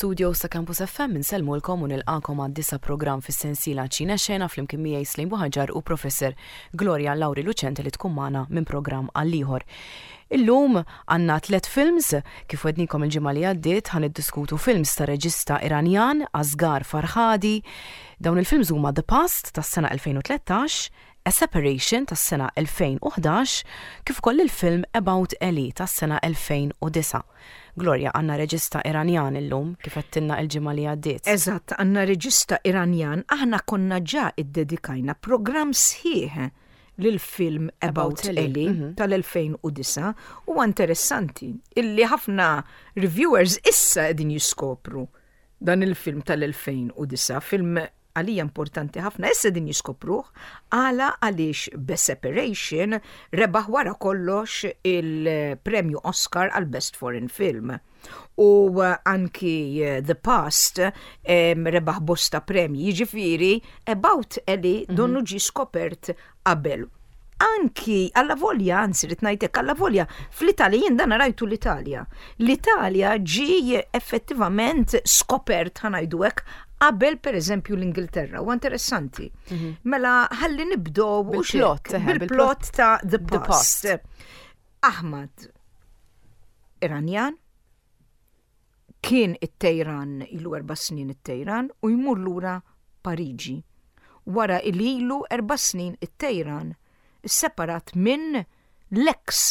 Mill-istudios ta' Campus FM insellmulkom u nilqakom għad-disa' programm fis-sensiela Ċine Xena flimkien miegħi Slejn Buħaġar u Professor Gloria Lauri Lucente li tkun magħna minn programm għal ieħor. Illum għandna tlet films, kif wednikom il-ġimgħa li għaddiet ħa niddiskutu films ta' reġista Iranjan Asghar Farhadi. Dawn il-films huma The Past tas-sena 2013, A Separation tas-sena 2011 kif ukoll il-film About Ellie tas-sena 2009. Gloria, għandna reġista Iranjan illum, kif għedtilna il-ġimgħa li għaddiet. Eżatt, għandna reġista Iranjan, aħna konna ġa iddedikajna programm sħiħ lill-film About Ellie tal-2009. Huwa interessanti illi ħafna reviewers issa qegħdin jiskopru dan il-film tal-2009, film għalija importanti ħafna, issa din jiskopruh, għala għaliex The Separation rebaħ wara kollox il-premju Oscar għal Best Foreign Film. U anki The Past rebaħ bosta premji, jiġifieri About Ellie donnu ġie skopert qabel. Anki alla volja, anzi rrid ngħidlek alla volja, fl-Italja jien dan rajtu l-Italja. L-Italja ġie effettivament skopert ħa ngħidu hekk qabel pereżempju l-Ingilterra. Huwa interessanti. Mela ħalli nibdew bil-plot, bil-plot ta' The Past. Ahmad Iranjan kien it-Tejran ilu 4 snin it-Tejran u jmur lura Pariġi. Wara il ilu 4 snin it-Tejran isseparat minn l-eks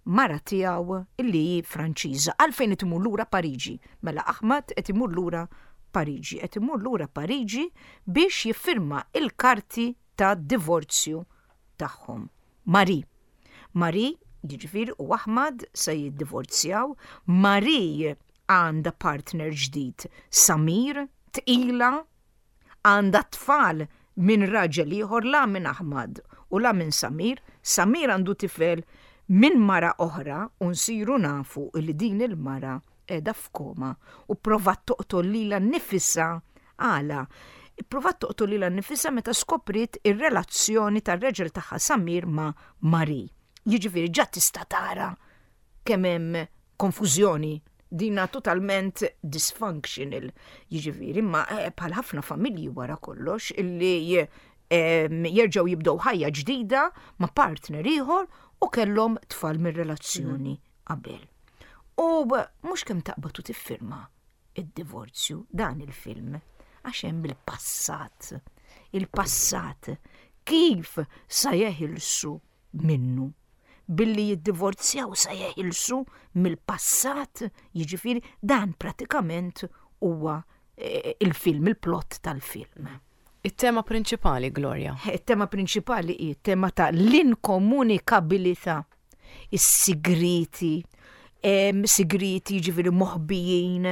mara tiegħu illi hi Franċiża. Għalfejn qed imur lura Pariġi? Mela Ahmad qed imur lura Pariġi. Qed imur lura Pariġi biex jiffirma il-karti ta' divorzju tagħhom. Marie. Marie, jiġifieri, u Ahmad se jiddivorzjaw. Marie għandha partner ġdid, Samir, tqila, għandha tfal minn raġel ieħor la minn Ahmad u la minn Samir. Samir għandu tifel minn mara oħra u nsiru nafu li din il-mara qiegħda f'koma u pprovat toqtol lilha nnifisha. Għala? Ipprovat toqtol lilha nnifisha meta skopriet ir-relazzjoni tar-raġel tagħha Samir ma' Marie. Jiġifieri ġa tista' tara kemm hemm konfużjoni dina totalment dysfunctional. Jiġifieri, imma eh, bħal ħafna familji wara kollox illi jerġgħu jibdew ħajja ġdida ma' partner ieħor u kellhom tfal mir-relazzjoni qabel. U mhux kemm taqbad u tiffirma id-divorzju dan il-film għax hemm il-passat. Il-passat kif sa jeħilsu minnu? Billi jiddivorzjaw sa jeħilsu mill-passat, jiġifieri dan pratikament huwa eh, il-film, il-plot tal-film. It-tema prinċipali, Gloria. It-tema prinċipali hi tema ta' l-inkomunikabilità is-sigrieti, sigrieti ġifieri moħbijin,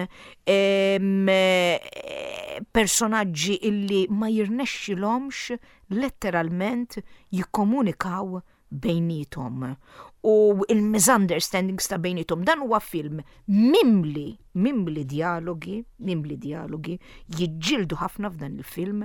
personaġġi illi ma jirnexxilhomx letteralment jikkomunikaw bejniethom u il-misunderstandings ta' bejniethom. Dan huwa film mimli, mimli dialogi, mimli dialogi, jiġġieldu ħafna f'dan il-film,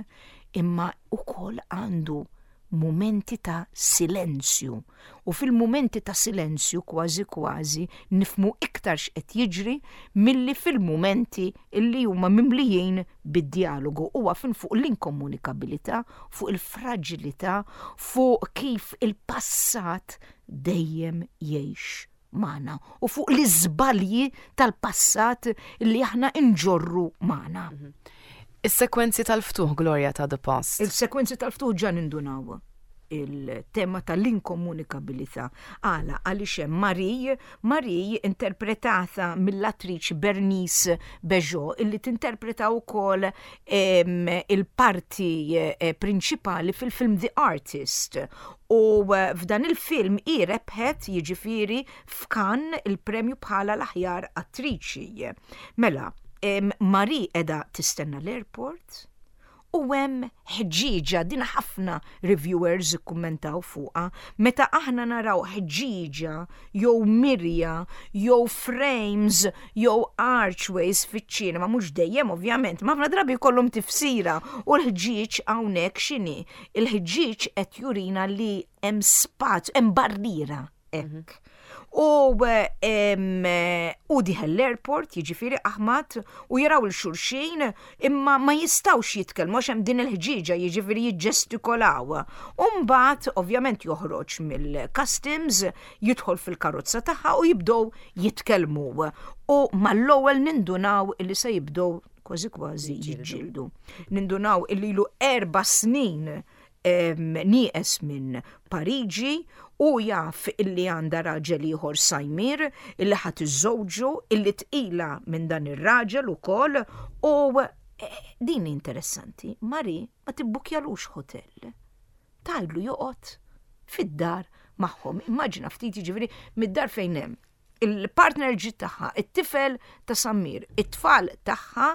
imma ukoll għandu mumenti ta' silenzju u fil-mumenti ta' silenzju kważi kważi nifhmu iktar x'qed jiġri milli fil-mumenti li huma mimlijin bid-djalogu. Huwa film fuq l-inkomunikabilità, fuq il-fraġilità, fuq kif il-passat dejjem jgħix magħna u fuq l-iżbalji tal-passat li aħna nġorru magħna. Is-sekwenzi tal-ftuħ, Gloria, ta' The Past. Il-sekwenzi tal-ftuħ ġa nindunaw il-tema tal-inkomunikabilità. Għala, għaliex hemm Marie, Marie interpretata mill-attriċi Bernice Bejo, illi tinterpreta wkoll il-parti eh, prinċipali fil-film The Artist. U eh, f'dan il-film hi rebħet jiġifieri f'Cannes il-premju bħala l-aħjar attriċi. Mela, Marie qiegħda tistenna l-airport u hemm ħġieġa, din ħafna reviewers ikkummentaw fuqha, meta aħna naraw ħġieġa jew mirja jew frames jew archways fiċ-ċinema, mhux dejjem ovvjament, ma ħafna drabi jkollhom tifsira u l-ħġieġ hawnhekk x'inhi? Il-ħġieġ qed jurina li hemm spazju, hemm barriera hekk. U u dieħel l-airport, jiġifieri Ahmad, u jaraw 'il xulxin imma ma jistgħux jitkellmu għax hemm din il-ħġieġa jiġifieri jiġġestikolaw. U mbagħad ovvjament joħroġ mill-customs, jidħol fil-karozza tagħha u jibdew jitkellmu. U mal-ewwel nindunaw li se jibdew kważi kważi jiġġieldu. Nindunaw illi ilu erba' snin nieqes minn Pariġi u jaf illi għandha raġel ieħor Sajmir illi ħa tiżżewġu illi tqila minn dan ir-raġel ukoll u eh, din interessanti, Mari ma tibbukjalux hotel. Tgħidlu joqgħod fid-dar magħhom. Immaġina ftit jiġifieri mid-dar fejn hemm il-partner ġid tagħha, it-tifel ta' Sammir, it-tfal tagħha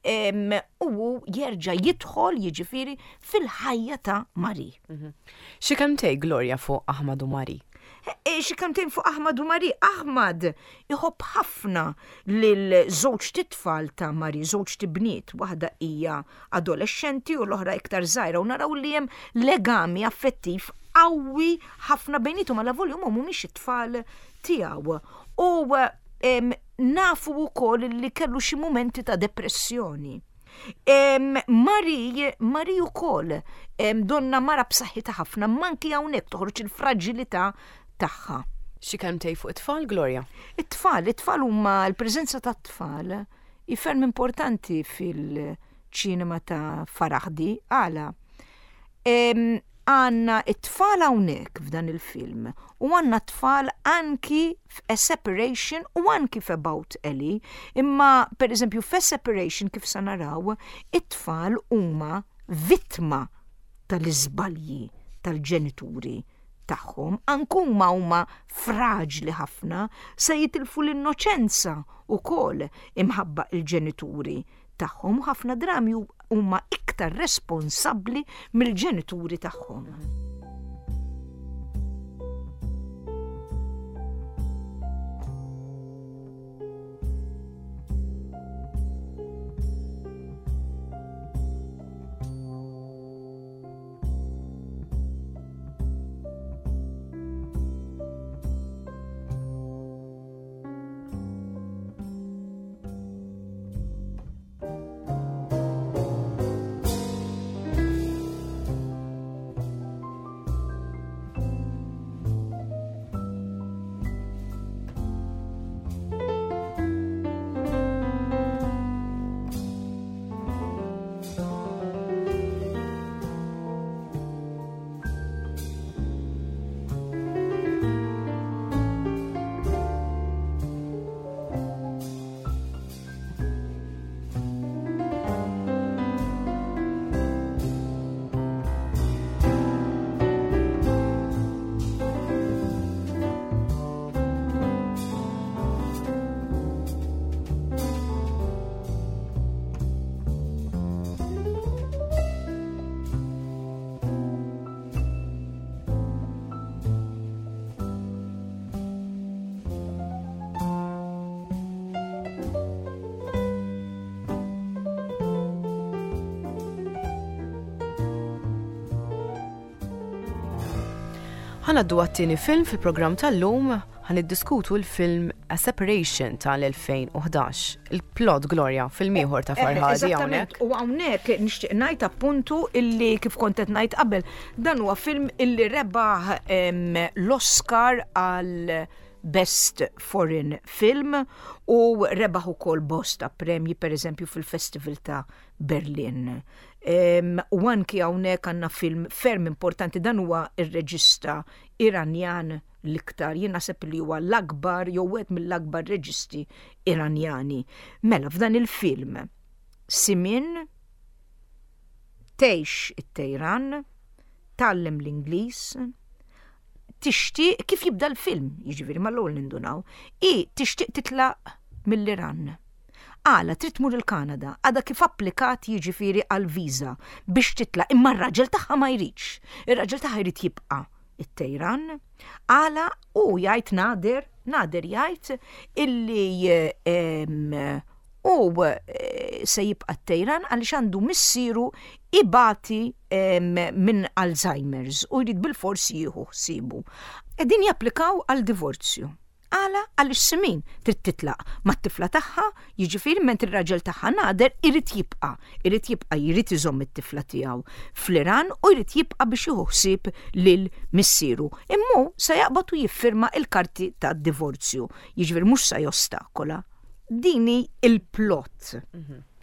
u hu jerġa' jidħol jiġifieri fil-ħajja ta' Mari. Mhm. Xi kemmtej Gloria fuq Ahmad u Mari? E, e, xi kemmtejn fuq Ahmad u Mari. Ahmad iħobb ħafna lil żewġ titfal ta' Mari, żewġ tibniet, waħda hija adolescenti u l-oħra iktar żgħira u naraw li hemm legami affettiv qawwi ħafna bejnietom għal volju mhumiex it-tfal tiegħu. U nafu wkoll li kellu xi mumenti ta' depressjoni. Mari, Mari wkoll donna mara b'saħħitha ħafna, manki hawnhekk toħroġ il-fraġilità tagħha. Xi kelmtej fuq it-tfal, Gloria? It-tfal, it-tfal huma l-preżenza tat-tfal hi ferm importanti fil-ċinema ta' Farahdi. Għala? Għandna t-tfal hawnhekk f'dan il-film u għandna t-tfal anki f'A Separation u anki f'About Ellie, imma pereżempju f'A Separation kif sa naraw, it-tfal huma vittma tal-iżbalji tal-ġenituri tagħhom, anke huma huma fraġli ħafna, se jitilfu l-innoċenza wkoll imħabba l-ġenituri tagħhom u ħafna drabi huma iktar responsabbli mill-ġenituri tagħhom. Ħa ngħaddu għat-tieni film fil-programm tal-lum, ħa niddiskutu l-film A Separation tal-2011. Il-plot Gloria, film ieħor ta' Farhadi hawnhekk. U hawnhekk nixtieq ngħid appuntu illi kif kont qed ngħid qabel, dan huwa film illi rebaħ l-Oscar għal Best Foreign Film u rebaħ ukoll bosta premji pereżempju fil-Festival ta' Berlin. U anki hawnhekk għandna film ferm importanti dan huwa ir-reġista Iranjan l-iktar, jien naħseb li huwa l-akbar jew wieħed mill-akbar reġisti Iranjani. Mela f'dan il-film Simin tgħix it-Tejran, tgħallem l-Ingliż, tixtieq kif jibda l-film, jiġifieri mal-ewwel nindunaw, hi tixtieq titlaq mill-Iran. Għala trid tmur il-Kanada, għadha kif applikat jiġifieri għal viża biex titlaq, imma r-raġel tagħha ma jridx. Ir-raġel tagħha jrid jibqa' it-Tejran. Għala u jgħid Nader, Nader jgħid illi u eh, se jibqa' t-Tejran għaliex għandu missieru ibati minn Alzheimer's u jrid bilfors jieħu ħsiebu. Qegħdin japplikaw għal divorzju. Għala għaliex Simin trid titlaq mat-tifla tagħha, jiġifieri mentri r-raġel tagħha Nader irid jibqa', irid jibqa' jrid iżomm it-tifla tiegħu fl-Iran u jrid jibqa' biex jieħu ħsieb lil missieru. Imma hu sa jaqbad u jiffirma l-karti tad-divorzju, jiġifieri mhux sa jostakola. Din hi l-plot.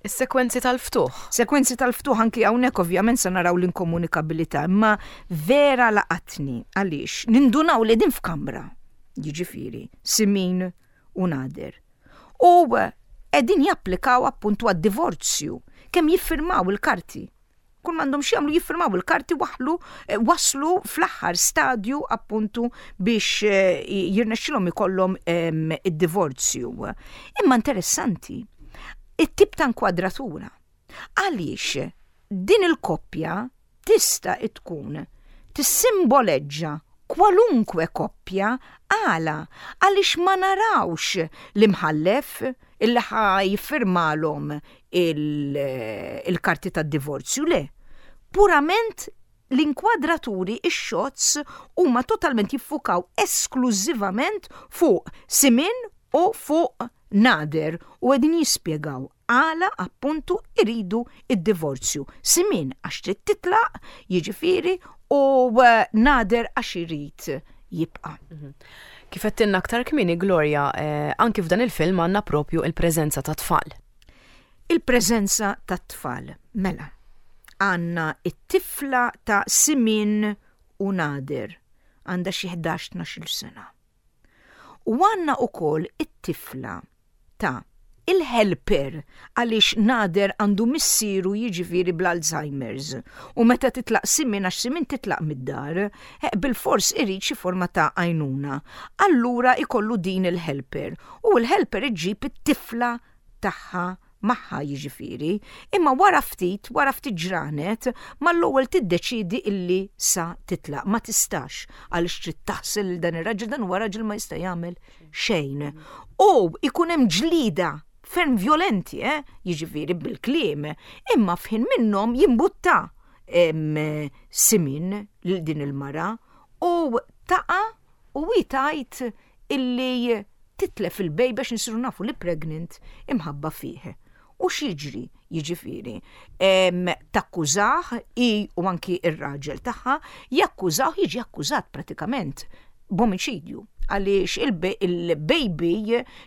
Is-sekwenzi tal-ftuħ. Sekwenzi tal-ftuħ anki hawnhekk ovvjament se naraw l-inkomunikabilità, imma vera laqatni għaliex nindunaw li din f'kamra, jiġifieri Simin u Nader. U qegħdin japplikaw appuntu għad-divorzju, kemm jiffirmaw il-karti. Kull m'għandhom x'jagħmlu jiffirmaw il-karti waħlu eh, waslu fl-aħħar stadju appuntu biex eh, jirnexxilhom ikollhom ehm, id-divorzju. Imma interessanti, it-tip ta' inkwadratura. Għaliex din il-koppja tista' tkun tissimboleġġa kwalunkwe koppja għala għaliex ma narawx l-imħallef illi ħa jiffirmalhom il-karti tad-divorzju, le. Purament l-inkwadraturi, ix-shots huma totalment jiffukaw esklużivament fuq Simin u fuq Nader u qegħdin jispjegaw għala appuntu iridu id-divorzju. Simin għax trid titlaq, jiġifieri, u eh, Nader għax irid jibqa'. Mhm. Kif għedtilna aktar kmieni Gloria, eh, anki f'dan il-film għandna propju il-preżenza ta' tfal. Il-preżenza ta' tfal, mela. Għandna it-tifla ta' Simin u Nader, għandha xi 11-12 sena. U għandna ukoll it-tifla ta' il-helper għaliex Nader għandu missieru jiġifieri bl-Alzheimer's u meta titlaq Simin għax Simin titlaq mid-dar, eh, bilfors irid xi forma ta' għajnuna. Allura ikollu din il-helper u l-helper iġġib it-tifla tagħha magħha jiġifieri, imma wara ftit, wara ftit ġranet, mal-ewwel tiddeċiedi illi sa titlaq, ma tistax għaliex trid taħsel lil dan ir-raġel, dan huwa raġel ma jista' jagħmel xejn. U ikun hemm ġlida ferm violenti, eh? jiġifieri bil-kliem, imma f'ħin minnhom jimbutta simin lil din il-mara u taqa' u hi tgħid illi titlef il-baby għax nsiru nafu li pregnant imħabba fih. U x'jiġri, jiġifieri, takkużah hi u anki ir-raġel tagħha, jakkużah jiġi akkużat pratikament b'omiċidju għaliex il-baby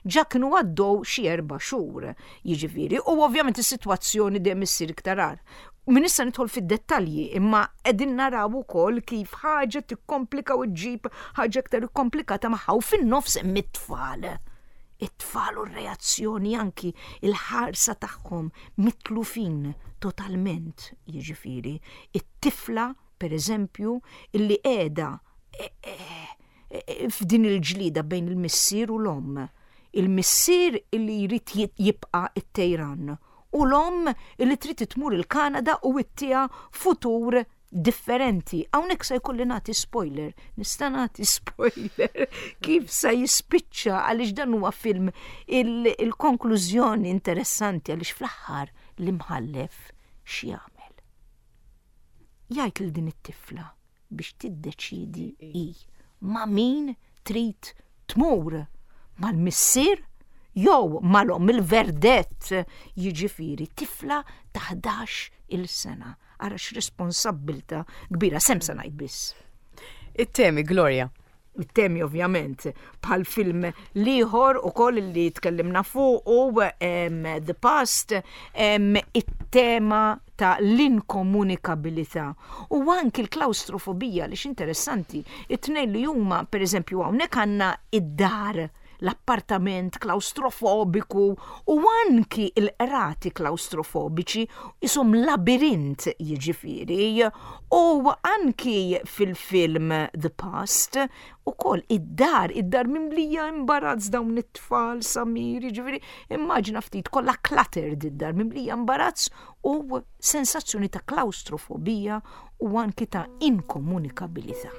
ġa kienu għaddew xi erba' xhur, jiġifieri, u ovvjament is-sitwazzjoni dejjem issir iktar agħar. Min issa nidħol fid-dettalji, imma qegħdin naraw ukoll kif ħaġa tikkomplika u ġġib ħaġa iktar ikkomplikata magħha u fin-nofs hemm it-tfal. It-tfal u r-reazzjoni anki il-ħarsa tagħhom mitlufin totalment, jiġifieri, it-tifla per eżempju illi qiegħda e, e, e, f'din il-ġlida bejn il-missier u l-omm. Il-missier illi jrid jibqa' it-Tejran u l-omm li trid tmur il-Kanada u ittiha futur differenti. Hawnhekk se jkolli nagħti spoiler, nista' nagħti spoiler kif se jispiċċa għaliex dan huwa film il-konklużjoni interessanti għaliex fl-aħħar l-imħallef x'jagħmel. Jgħid lil din it-tifla biex tiddeċiedi hi ma' min trid tmur, mal-missier jew mal-omm il-verdett jiġifieri tifla ta' 11 il sena. Ara x'responsabbilta kbira, sem se ngħid biss. It-temi, Gloria. It-temi ovvjament bħal film liħor u koll li tkellimna fuq u The Past, it-tema ta' l-inkomunikabilità u anki l-klaustrofobija li interessanti, it-tnejn li huma per eżempju hawnhekk għandna id-dar l-appartament klaustrofobiku u anki l-qrati klaustrofobiċi isom labirint jiġifieri u anki fil-film The Past ukoll id-dar, id-dar mimlija imbarazz dawn it-tfal Samir, jiġifieri immaġina ftit kollha cluttered id-dar mimlija imbarazz u sensazzjoni ta' klaustrofobija u anki ta' inkomunikabilità.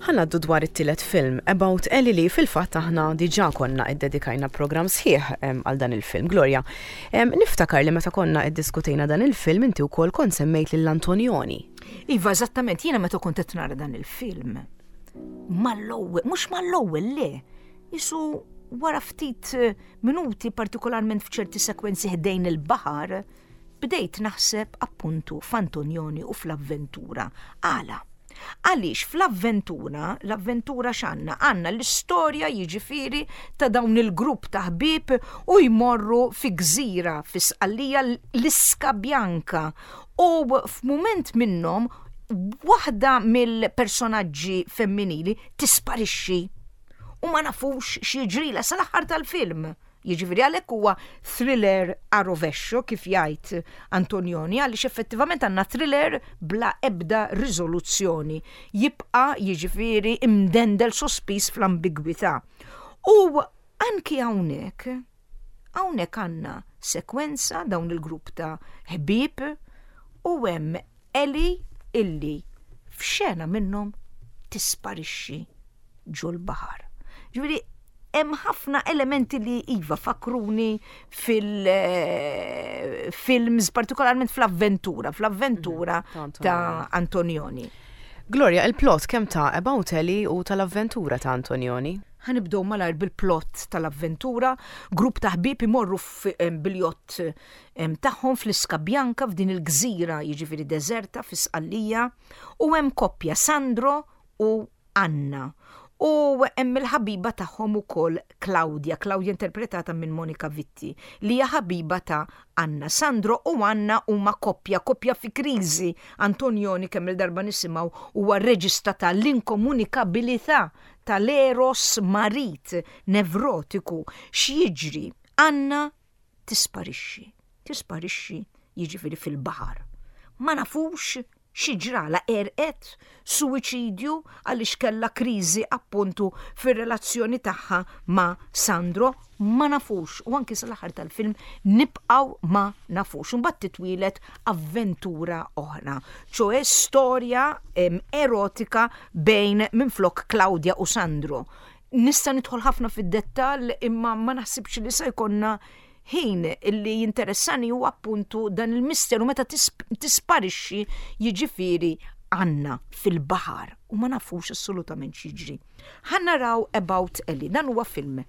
Ħa ngħaddu dwar it-tielet film, About Ellie li fil-fatt aħna diġà konna iddedikajna programm sħiħ għal dan il-film. Gloria, niftakar li meta konna iddiskutejna dan il-film inti wkoll kont semmejt lil Antonioni. Iva, eżattament, jiena meta kont qed nara dan il-film, mal-ewwel, mhux mal-ewwel le, isu wara ftit eh, minuti partikolarment f'ċerti sekwenzi ħdejn il-baħar, bdejt naħseb appuntu f'Antonioni u fl-avventura. Għala? Għaliex fl-avventura, l-avventura x'għandna? Għandna l-istorja jiġifieri ta' dawn il-grupp ta' ħbieb u jmorru fi gżira fi Sqallija l-Iska Bianca u f'mument minnhom waħda mill-personaġġi femminili tisparixxi u ma nafux x'jiġrilha sal-aħħar tal-film. Jiġifieri għalhekk huwa thriller a rovescio kif jgħid Antonioni għaliex effettivament għandna thriller bla ebda riżoluzzjoni. Jibqa' jiġifieri imdendel sospiż fl-ambigwità. U anki hawnhekk, hawnhekk għandna sekwenza dawn il-grupp ta' ħbieb u hemm Ellie illi f'xena minnhom tisparixxi ġol-baħar. Ġifieri hemm ħafna elementi li iva fakruni fil-films, partikolarment fl-avventura, fl-avventura mhm, ta' Antonioni. Gloria, il-plot kemm ta' About Ellie u tal-avventura ta' Antonioni? Ħanibdew malajr bil-plot tal-avventura, grupp ta' ħbieb imorru bil-jott tagħhom fl-Iska Bianca f'din il-gżira jiġifieri deżerta fi Sqallija u hemm koppja Sandro u Anna. U hemm il-ħabiba tagħhom ukoll Claudia, Claudia interpretata minn Monica Vitti, li hija ħabiba ta' Anna. Sandro u Anna huma koppja, koppja fi kriżi. Antonioni kemm il-darba nisimgħu huwa reġista ta' l-inkomunikabilità tal-eros marid nevrotiku. X'jiġri? Anna tisparixxi. Tisparixxi jiġifieri fil-baħar. Ma nafux xi ġralha, għerqet, suwiċidju għaliex kellha kriżi appuntu fir-relazzjoni tagħha ma' Sandro, ma nafux u anki sal-aħħar tal-film nibqgħu ma nafux. Imbagħad titwieled avventura oħra, ċoe storja erotika bejn minflok Claudia u Sandro. Nista' nidħol ħafna fid-dettall imma ma naħsibx li se jkollna ħin illi jinteressani huwa appuntu dan il-misteru meta tisparixxi jiġifieri Anna fil-baħar u ma nafux assolutament x'jiġri. Ħa naraw About Ellie, dan huwa film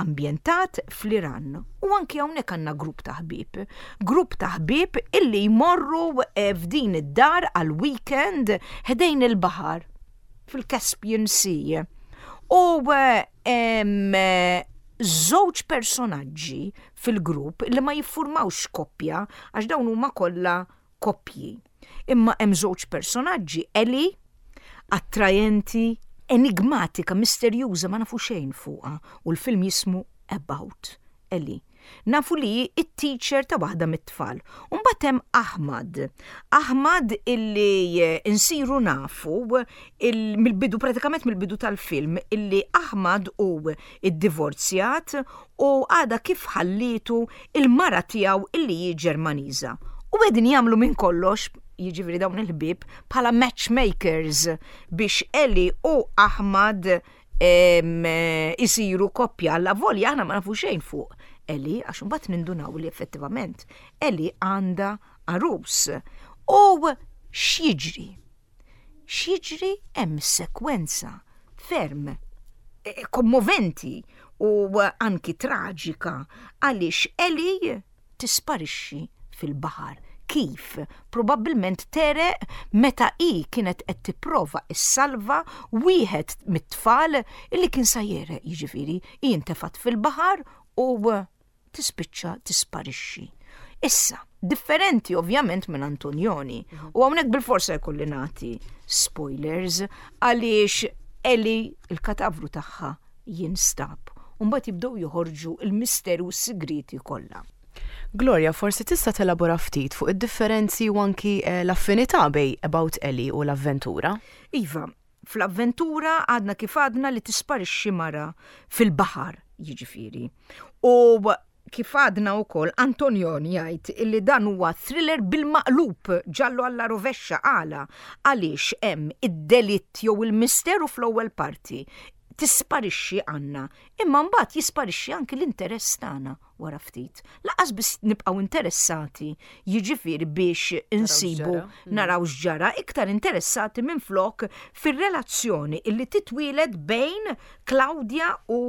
ambjentat fl-Iran u anki hawnhekk għandna grupp ta' ħbieb. Grupp ta' ħbieb illi jmorru eh, f'din id-dar għal weekend ħdejn il-baħar fil-Caspian Sea. U eh, żewġ personaġġi fil-grupp li ma jiffurmawx koppja għax dawn huma kollha koppji. Imma hemm żewġ personaġġi, Ellie, attrajenti, enigmatika, misterjuża, ma nafu xejn fuqha u l-film jismu About Ellie. Nafu li hi t-teacher ta' waħda mit-tfal. U mbagħad hemm Ahmad. Ahmad illi eh, insiru nafu mill-bidu pratikament mill-bidu tal-film illi Ahmad hu iddivorzjat u għada kif ħallietu il-mara tiegħu illi hi Ġermaniża. U qegħdin jagħmlu minn kollox jiġifieri dawn il-ħbieb bħala matchmakers biex Eli u Ahmad isiru koppja alla volja aħna ma nafu xejn fuq Eli għax imbagħad nindunaw li effettivament Eli għandha għarus. U x'jiġri? X'jiġri hemm sekwenza ferm eh, kommoventi u anki traġika għaliex Eli tisparixxi fil-baħar. Kif? Probabbilment tegħreq meta hi kienet qed tipprova ssalva wieħed mit-tfal illi kien sa jegħreq, jiġifieri hi ntefgħet fil-baħar u tispiċċa tisparixxi. Issa, differenti ovvjament minn Antonioni, u hawnhekk bilforsa jkolli nagħti spoilers għaliex Ellie il-katavru tagħha jinstab u mbagħad jibdew joħorġu l-misteru u s-sigrieti kollha. Gloria, forsi tista' telabora ftit fuq id-differenzi u anki eh, l-affinità bej About Ellie u l-avventura? Iva, fl-avventura għadna kif għadna li tisparixxi mara fil-baħar, jiġifieri. U Kif għadna wkoll, Antonioni jgħid illi dan huwa thriller bil-maqlub, giallo alla rovescia, għala? Għaliex hemm id-delitt jew il-misteru fl-ewwel parti, tisparixxi Anna, imma mbagħad jisparixxi anki l-interess tagħna wara ftit. Lanqas biss nibqgħu interessati, jiġifieri biex insibu naraw x'ġara, iktar interessati minflok fir-relazzjoni illi titwieled bejn Claudia u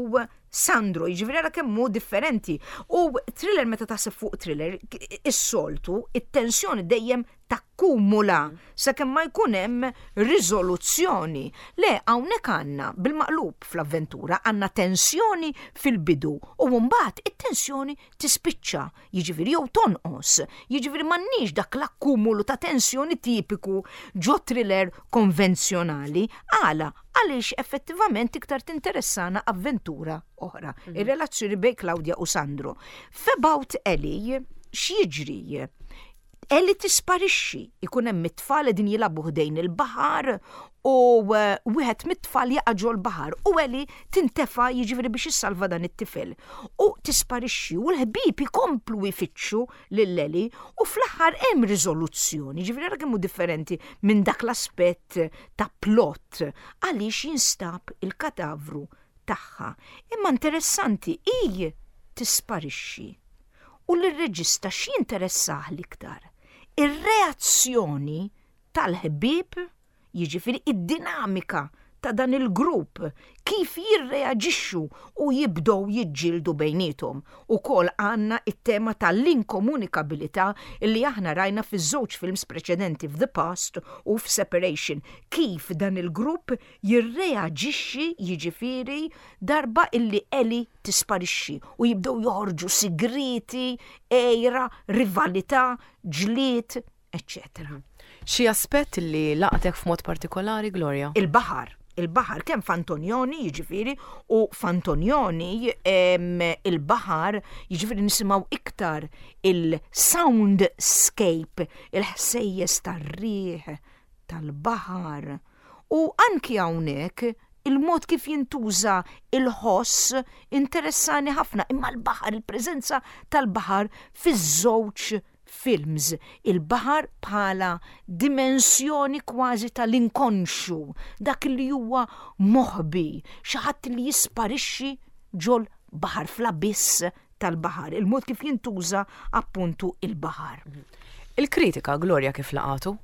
Sandro, jiġifieri ara kemm hu differenti. U thriller meta taħseb fuq thriller, is-soltu, it-tensjoni dejjem takkumula sakemm ma jkun hemm riżoluzzjoni. Le, hawnhekk għandna bil-maqlub fl-avventura, għandna tensjoni fil-bidu u mbagħad it-tensjoni tispiċċa, jiġifieri jew tonqos. Jiġifieri m'għandniex dak l-akkumulu ta' tensjoni tipiku ġo thriller konvenzjonali. Għala? Għaliex effettivament iktar tinteressana avventura oħra, ir-relazzjoni bejn Claudia u Sandro. F'About Ellie, x'jiġri? Ellie tisparixxi, ikun hemm it-tfal qegħdin jilagħbu ħdejn il-baħar u wieħed mit-tfal jaqa' ġol-baħar u Ellie tintefa' jiġifieri biex issalva dan it-tifel u tisparixxi u l-ħbieb ikomplu jfittxu lil Ellie u fl-aħħar hemm riżoluzzjoni, jiġifieri ara kemm hu differenti minn dak l-aspett ta' plot għaliex jinstab il-katavru tagħha. Imma interessanti hi tisparixxi. U lir-reġista x'jinteressah l-iktar? Ir-reazzjoni tal-ħbieb, jiġifieri id-dinamika ta' dan il-grupp, kif jirreaġixxu u jibdew jiġġieldu bejniethom. Ukoll għandna t-tema tal-inkomunikabilità li aħna rajna fiż-żewġ films preċedenti f'The Past u f'Separation, kif dan il-grupp jirreaġixxi jiġifieri darba illi Ellie tisparixxi u jibdew joħorġu sigrieti, għira, rivalità, ġlied, eċċetera. Xi aspett li laqtek f'mod partikolari, Gloria? Il-baħar. Il-baħar kemm f'Antonioni jiġifieri u f'Antonioni il-baħar jiġifieri nisimgħu iktar il-soundscape, il-ħsejjes tar-riħ, tal-baħar. U anki hawnhekk il-mod kif jintuża il-ħoss interessani ħafna, imma l-baħar, il-preżenza tal-baħar fiż-żewġ films, il-baħar bħala dimensjoni kważi tal-inkonxju, dak li huwa moħbi, xi ħadd li jisparixxi ġol baħar fl-abiss tal-baħar, il-mod kif jintuża appuntu il-baħar. Il-kritika, Gloria, kif laqatu?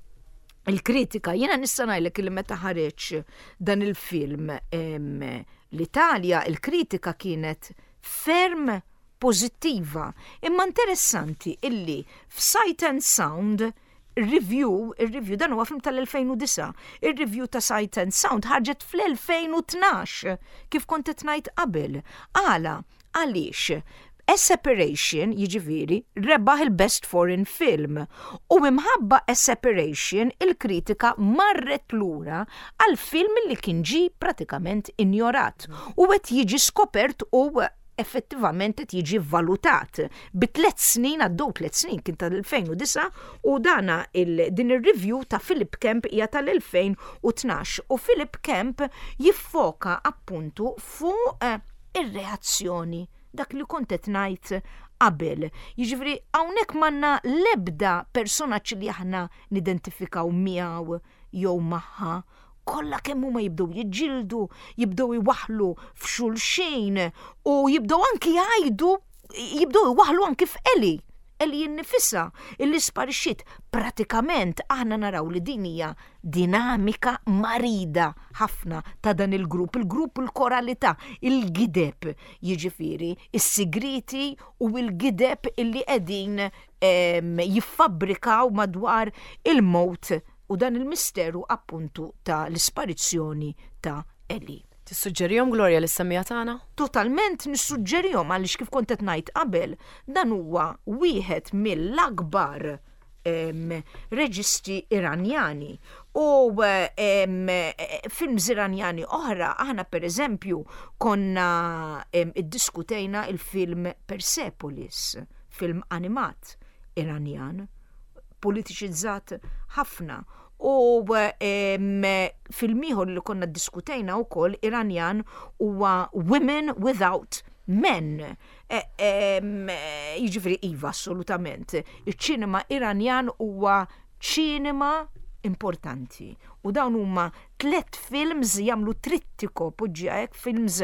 Il-kritika, jiena nista' ngħidlek li meta ħareġ dan il-film l-Italja, il-kritika kienet ferm pożittiva. Imma interessanti illi f'Sight and Sound review, il-review dan huwa film tal-2009, il-review ta' Sight and Sound ħarġet fl-2012, kif kont qed ngħid qabel. Għala, għaliex A Separation, jiġifieri, rebaħ il-Best Foreign Film u imħabba A Separation il-kritika marret lura għal film li kien ġie pratikament injorat u qed jiġi skopert u effettivament qed jiġi valutat. Bi 3 snin, għaddew 3 snin, kien tal-2009 u dana din ir-review ta' Philip Kemp hija tal-2012 u Philip Kemp jiffoka appuntu fuq ir-reazzjoni, dak li kont qed ngħid qabel. Jiġifieri hawnhekk m'għandna l-ebda personaġġ li aħna nidentifikaw miegħu jew magħha. Kollha kemm huma jibdew jiġġieldu, jibdew iwaħħlu f'xulxin u jibdew anki jgħidu, jibdew iwaħħlu anki f'Ellie. Ellie innifisha illi sparixxiet. Pratikament aħna naraw li din hija dinamika marida ħafna ta' dan il-grupp, il-grupp il-koralità, il-gideb, jiġifieri is-sigrieti u l-gideb illi qegħdin jiffabbrikaw madwar il-mewt u dan il-misteru appuntu ta' l-isparizzjoni ta' Ellie. Tissuġġerihom, Gloria, lis-semmiegħa tagħna? Totalment nissuġġerihom għaliex kif kont qed ngħid qabel, dan huwa wieħed mill-akbar reġisti Iranjani. U films Iranjani oħra, aħna per eżempju konna iddiskutejna il-film Persepolis, film animat Iranjan, politiċizzat ħafna. U film ieħor li konna ddiskutejna wkoll Iranjan huwa Women Without Men. Jiġifieri iva, assolutament. Iċ-ċinema Iranjan huwa ċinema importanti. U dawn huma tlett films jagħmlu trittico poġġiha hekk films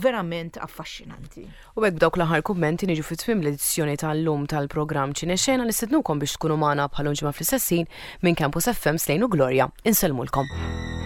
verament affaxxinanti. U hekk b'dawk l-aħħar kummenti niġu fi tmiem l-edizzjoni tal-lum tal-programm Ċinexena nistednukom biex tkunu magħna bħal ġimgħa fl-istess ħin minn Campus FM Slejn u Gloria. Insellmulkom.